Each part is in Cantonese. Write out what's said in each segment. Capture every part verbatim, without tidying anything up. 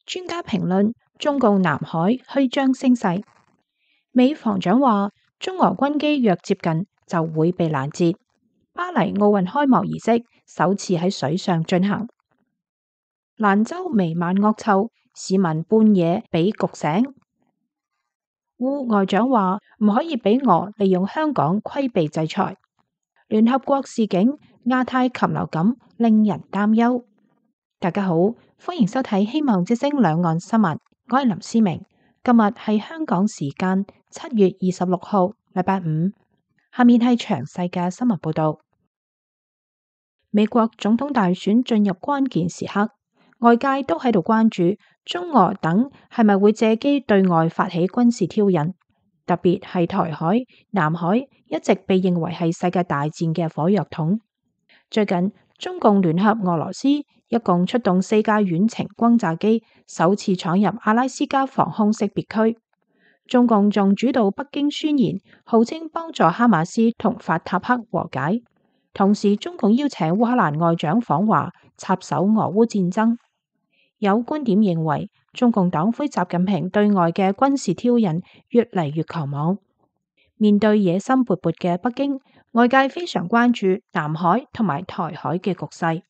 專家評論中共南海虛張聲勢。美防長話，中俄軍機若接近就會被攔截。巴黎奧運開幕儀式首次喺水上進行。蘭州彌漫惡臭，市民半夜被焗醒。烏外長話唔可以俾俄利用香港規避制裁。聯合國示警亞太禽流感令人擔憂。大家好，歡迎收睇希望之聲兩岸新聞，我係林思明。今日係香港時間七月二十六號，禮拜五。下面係詳細嘅新聞報道。美國總統大選進入關鍵時刻，外界都喺度關注中俄等係咪會借機對外發起軍事挑釁，特別係台海、南海一直被認為係世界大戰嘅火藥桶。最近中共聯合俄羅斯一共出動四架遠程轟炸機，首次闖入阿拉斯加防空識別區。中共仲主導北京宣言，號稱幫助哈馬斯同法塔赫和解。同時，中共邀請烏克蘭外長訪華，插手俄烏戰爭。有觀點認為，中共黨魁習近平對外嘅軍事挑釁越嚟越狂妄。面對野心勃勃嘅北京，外界非常關注南海同埋台海嘅局勢。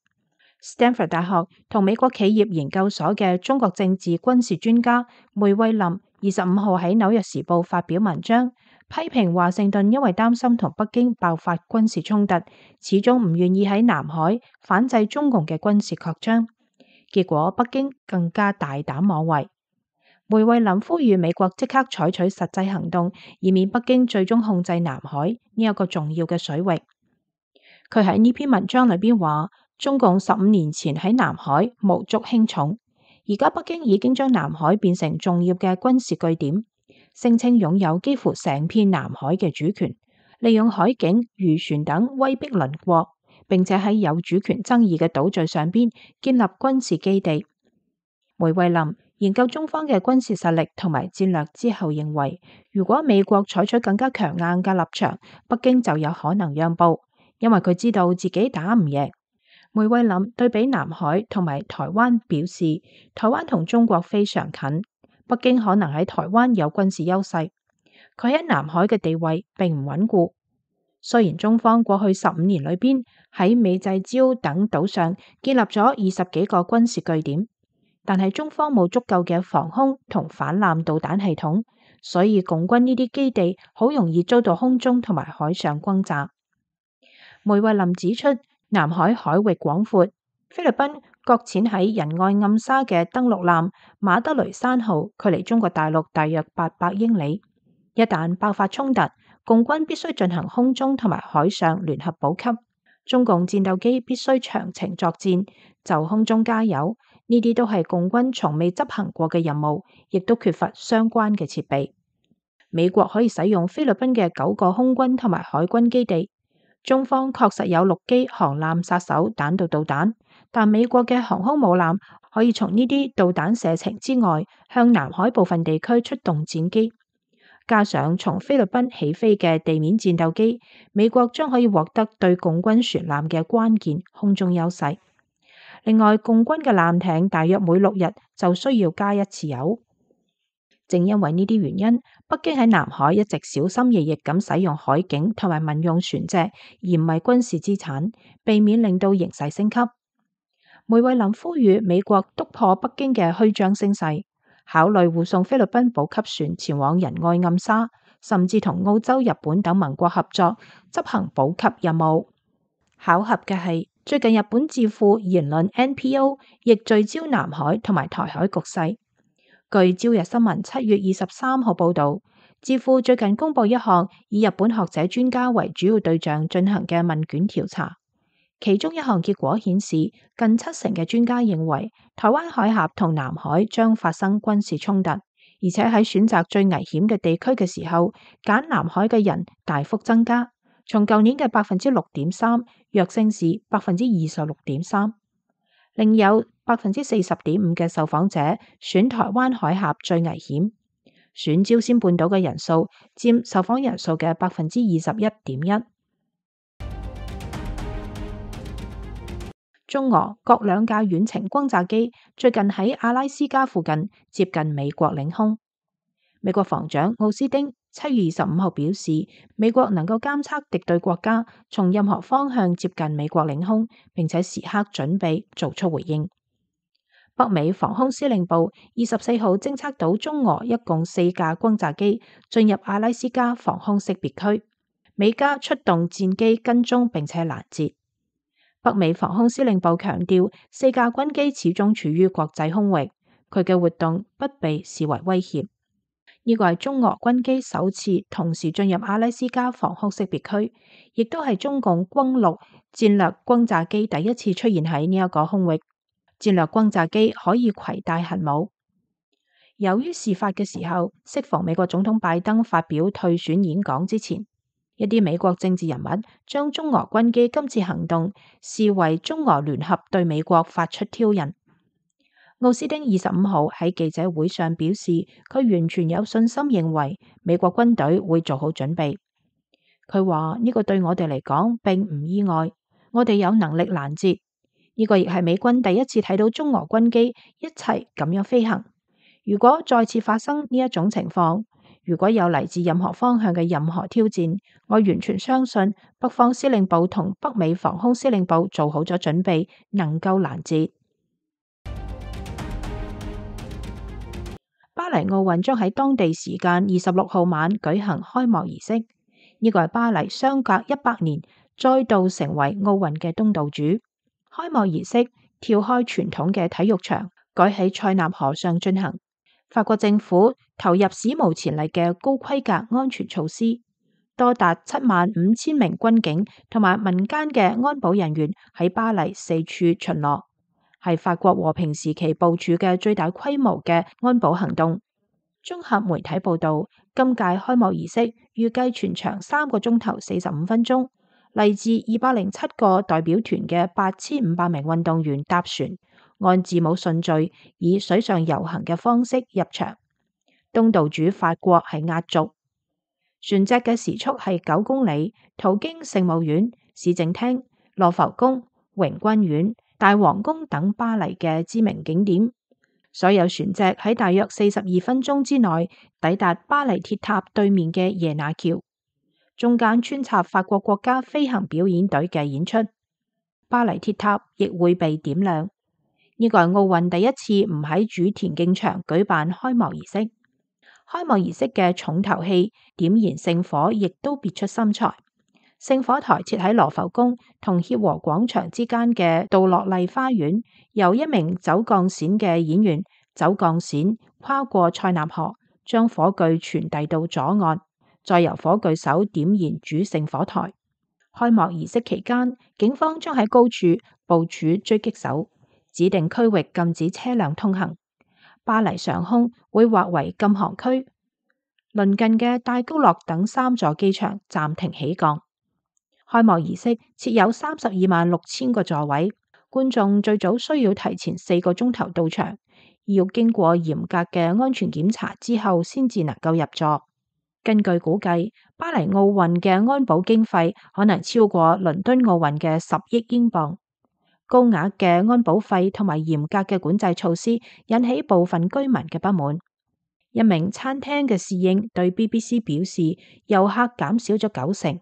Stanford 大學同美國企業研究所嘅中國政治軍事專家梅惠林二十五號喺紐約時報發表文章，批評華盛頓因為擔心同北京爆發軍事衝突，始終唔願意喺南海反制中共嘅軍事擴張，結果北京更加大膽妄為。梅惠林呼籲美國即刻採取實際行動，以免北京最終控制南海呢一個重要嘅水域。佢喺呢篇文章裏邊話，中共十五年前喺南海無足輕重，而家北京已經將南海變成重要嘅軍事據點，聲稱擁有幾乎成片南海嘅主權，利用海警、漁船等威逼鄰國，並且喺有主權爭議嘅島嶼上邊建立軍事基地。梅惠林研究中方嘅軍事實力同埋戰略之後認為，如果美國採取更加強硬嘅立場，北京就有可能讓步，因為佢知道自己打唔贏。梅惠林對比南海同埋台灣表示，台灣同中國非常近，北京可能喺台灣有軍事優勢，佢喺南海嘅地位並唔穩固。雖然中方過去十五年裏邊喺美濟礁等島上建立咗二十幾個軍事據點，但係中方冇足夠嘅防空同反艦導彈系統，所以共軍呢啲基地好容易遭到空中同埋海上轟炸。梅惠林指出，南海海域廣闊，菲律賓擱淺喺仁愛暗沙嘅登陸艦馬德雷山號距離中國大陸大約八百英里，一旦爆發衝突，共軍必須進行空中同埋海上聯合補給，中共戰鬥機必須長程作戰，就空中加油，呢啲都係共軍從未執行過嘅任務，亦都缺乏相關嘅設備。美國可以使用菲律賓嘅九個空軍同埋海軍基地。中方確實有陸基航艦殺手彈道導彈，但美國嘅航空母艦可以從呢啲導彈射程之外向南海部分地區出動戰機，加上從菲律賓起飛嘅地面戰鬥機，美國將可以獲得對共軍船艦嘅關鍵空中優勢。另外，共軍嘅艦艇大約每六日就需要加一次油。正因為呢啲原因，北京喺南海一直小心翼翼咁使用海警同埋民用船隻，而唔係軍事資產，避免令到形勢升級。梅惠林呼籲美國督破北京嘅虛張聲勢，考慮護送菲律賓補給船前往仁愛暗沙，甚至同澳洲、日本等盟國合作執行補給任務。巧合嘅係，最近日本智庫言論 N P O 亦聚焦南海同埋台海局勢。據朝日新聞七月二十三號報道，智庫最近公布一項以日本學者專家為主要對象進行嘅問卷調查，其中一項結果顯示，近七成嘅專家認為台灣海峽同南海將發生軍事衝突，而且喺選擇最危險嘅地區嘅時候，揀南海嘅人大幅增加，從舊年嘅百分之六點三躍升至百分之二十六點三。另有百分之四十點五嘅受訪者選台灣海峽最危險，選朝鮮半島嘅人數佔受訪人數嘅百分之二十一點一。中俄各兩架遠程轟炸機最近喺阿拉斯加附近接近美國領空。美國防長奧斯汀七月二十五號表示，美國能夠監測敵對國家從任何方向接近美國領空，並且時刻準備做出回應。北美防空司令部二十四號偵測到中俄一共四架轟炸機進入阿拉斯加防空識別區，美加出動戰機跟蹤並且攔截。北美防空司令部強調，四架軍機始終處於國際空域，佢嘅活動不被視為威脅。呢個係中俄軍機首次同時進入阿拉斯加防空識別區，亦都係中共轟六戰略轟炸機第一次出現喺呢一個空域。戰略轟炸機可以攜帶核武。由於事發嘅時候適逢美國總統拜登發表退選演講之前，一啲美國政治人物將中俄軍機今次行動視為中俄聯合對美國發出挑釁。奧斯汀二十五號喺記者會上表示，佢完全有信心認為美國軍隊會做好準備。佢話呢個對我哋嚟講並唔意外，我哋有能力攔截。呢個亦係美軍第一次睇到中俄軍機一齊咁樣飛行。如果再次發生呢一種情況，如果有嚟自任何方向嘅任何挑戰，我完全相信北方司令部同北美防空司令部做好咗準備，能夠攔截。巴黎奧運將喺當地時間二十六號晚舉行開幕儀式，呢個係巴黎相隔一百年再度成為奧運嘅東道主。開幕儀式跳開傳統嘅體育場，改喺塞納河上進行。法國政府投入史無前例嘅高規格安全措施，多達七萬五千名軍警同埋民間嘅安保人員喺巴黎四處巡邏，係法國和平時期部署嘅最大規模嘅安保行動。綜合媒體報道，今屆開幕儀式預計全長三個鐘頭四十五分鐘。嚟自二百零七個代表團嘅八千五百名運動員搭船，按字母順序以水上遊行嘅方式入場。東道主法國係壓軸，船隻嘅時速係九公里，途經聖母院、市政廳、羅浮宮、榮軍院、大皇宮等巴黎嘅知名景點。所有船隻喺大約四十二分鐘之內抵達巴黎鐵塔對面嘅耶拿橋。中間穿插法國國家飛行表演隊嘅演出，巴黎鐵塔亦會被點亮。呢個係奧運第一次唔喺主田徑場舉辦開幕儀式。開幕儀式嘅重頭戲點燃聖火，亦都別出心裁。聖火台設喺羅浮宮同協和廣場之間嘅杜樂麗花園，由一名走鋼線嘅演員走鋼線跨過塞納河，將火炬傳遞到左岸。再由火炬手點燃主聖火台。開幕儀式期間，警方將喺高處部署狙擊手，指定區域禁止車輛通行。巴黎上空會劃為禁航區，鄰近嘅戴高樂等三座機場暫停起降。開幕儀式設有三十二萬六千個座位，觀眾最早需要提前四個鐘頭到場，要經過嚴格嘅安全檢查之後先至能夠入座。根據估計，巴黎奧運嘅安保經費可能超過倫敦奧運嘅十億英鎊。高額嘅安保費同埋嚴格嘅管制措施引起部分居民嘅不滿。一名餐廳嘅侍應對 B B C 表示，遊客減少咗九成。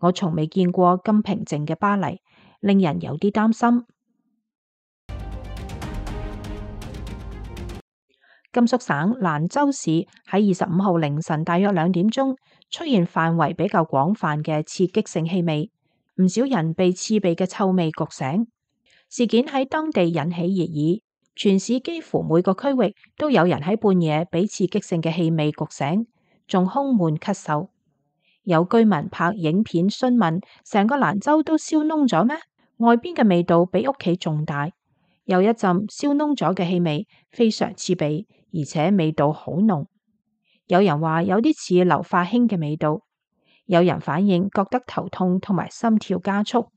我從未見過咁平靜嘅巴黎，令人有啲擔心。甘肅省蘭州市喺二十五號凌晨大約兩點鐘出現範圍比較廣泛嘅刺激性氣味，唔少人被刺鼻嘅臭味焗醒。事件喺當地引起熱議，全市幾乎每個區域都有人喺半夜被刺激性嘅氣味焗醒，仲胸悶咳嗽。有居民拍影片詢問：成個蘭州都燒燶咗咩？外邊嘅味道比屋企仲大。有一陣燒燶咗嘅氣味，非常刺鼻，而且味道好濃。有人話有啲似硫化氫嘅味道，有人反映覺得頭痛同埋心跳加速，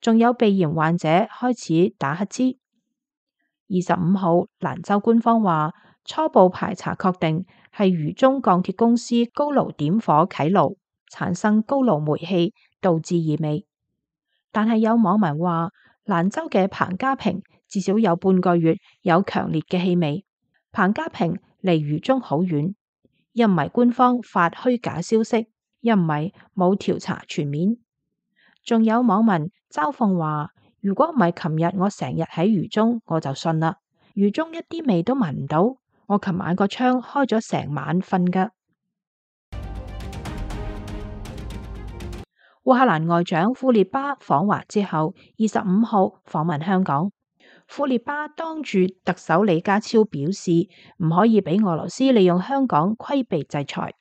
仲有鼻炎患者開始打乞嗤。二十五號，蘭州官方話初步排查確定係渝中鋼鐵公司高爐點火啟爐，產生高爐煤氣，導致異味。但係有網民話蘭州嘅彭家坪至少有半個月有強烈嘅氣味。彭家坪離渝中好遠，一唔係官方發虛假消息，一唔係冇調查全面。仲有網民嘲諷話，如果唔係琴日我成日喺渝中，我就信啦。渝中一啲味都聞唔到，我琴晚個窗開咗成晚瞓㗎。烏克蘭外長庫列巴訪華之後，二十五號訪問香港。庫列巴當住特首李家超表示，唔可以俾俄羅斯利用香港規避制裁。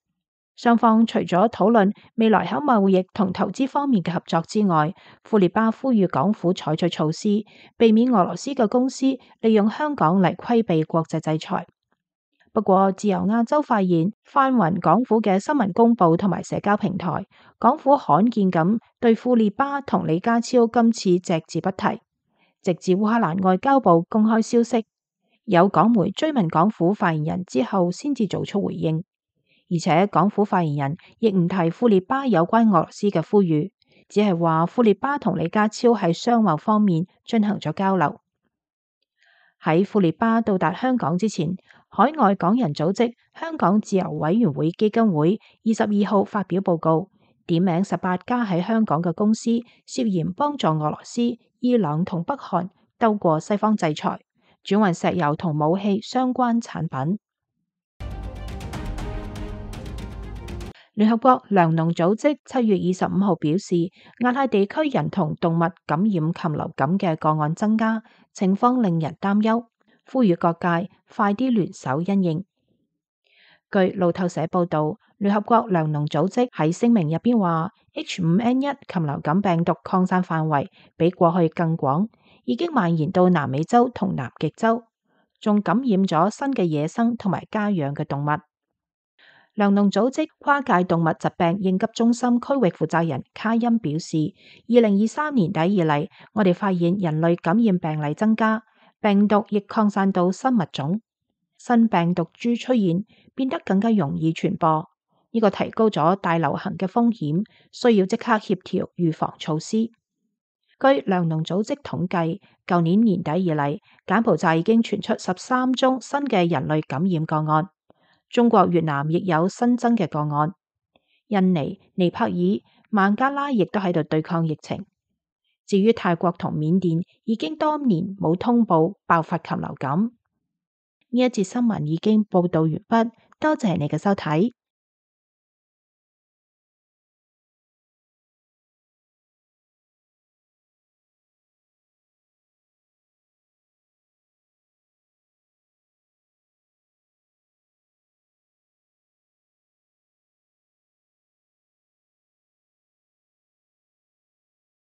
雙方除咗討論未來喺貿易同投資方面嘅合作之外，庫列巴呼籲港府採取措施，避免俄羅斯嘅公司利用香港嚟規避國際制裁。不過，自由亞洲發現翻雲港府嘅新聞公報同埋社交平台，港府罕見咁對庫列巴同李家超今次隻字不提，直至烏克蘭外交部公開消息，有港媒追問港府發言人之後，先至做出回應。而且港府發言人亦唔提庫列巴有關俄羅斯嘅呼籲，只係話庫列巴同李家超喺商貿方面進行咗交流。喺庫列巴到達香港之前，海外港人組織香港自由委員會基金會二十二號發表報告，點名十八家喺香港嘅公司涉嫌幫助俄羅斯、伊朗同北韓兜過西方制裁，轉運石油同武器相關產品。聯合國糧農組織七月二十五號表示，亞太地區人同動物感染禽流感嘅個案增加，情況令人擔憂，呼籲各界快啲聯手因應。據路透社報道，聯合國糧農組織喺聲明入邊話 H 五 N 一 禽流感病毒擴散範圍比過去更廣，已經蔓延到南美洲同南極洲，仲感染咗新嘅野生同埋家養嘅動物。糧農組織跨界動物疾病應急中心區域負責人卡恩表示，二零二三年底以嚟，我哋發現人類感染病例增加，病毒亦擴散到新物種，新病毒株出現，變得更加容易傳播。呢個提高咗大流行嘅風險，需要即刻協調預防措施。據糧農組織統計，舊年年底以嚟，柬埔寨已經傳出十三宗新嘅人類感染個案。中國越南亦有新增嘅個案，印尼、尼泊爾、孟加拉亦都喺度對抗疫情。至於泰國同緬甸，已經多年冇通報爆發禽流感。呢一節新聞已經報道完畢，多謝你嘅收睇。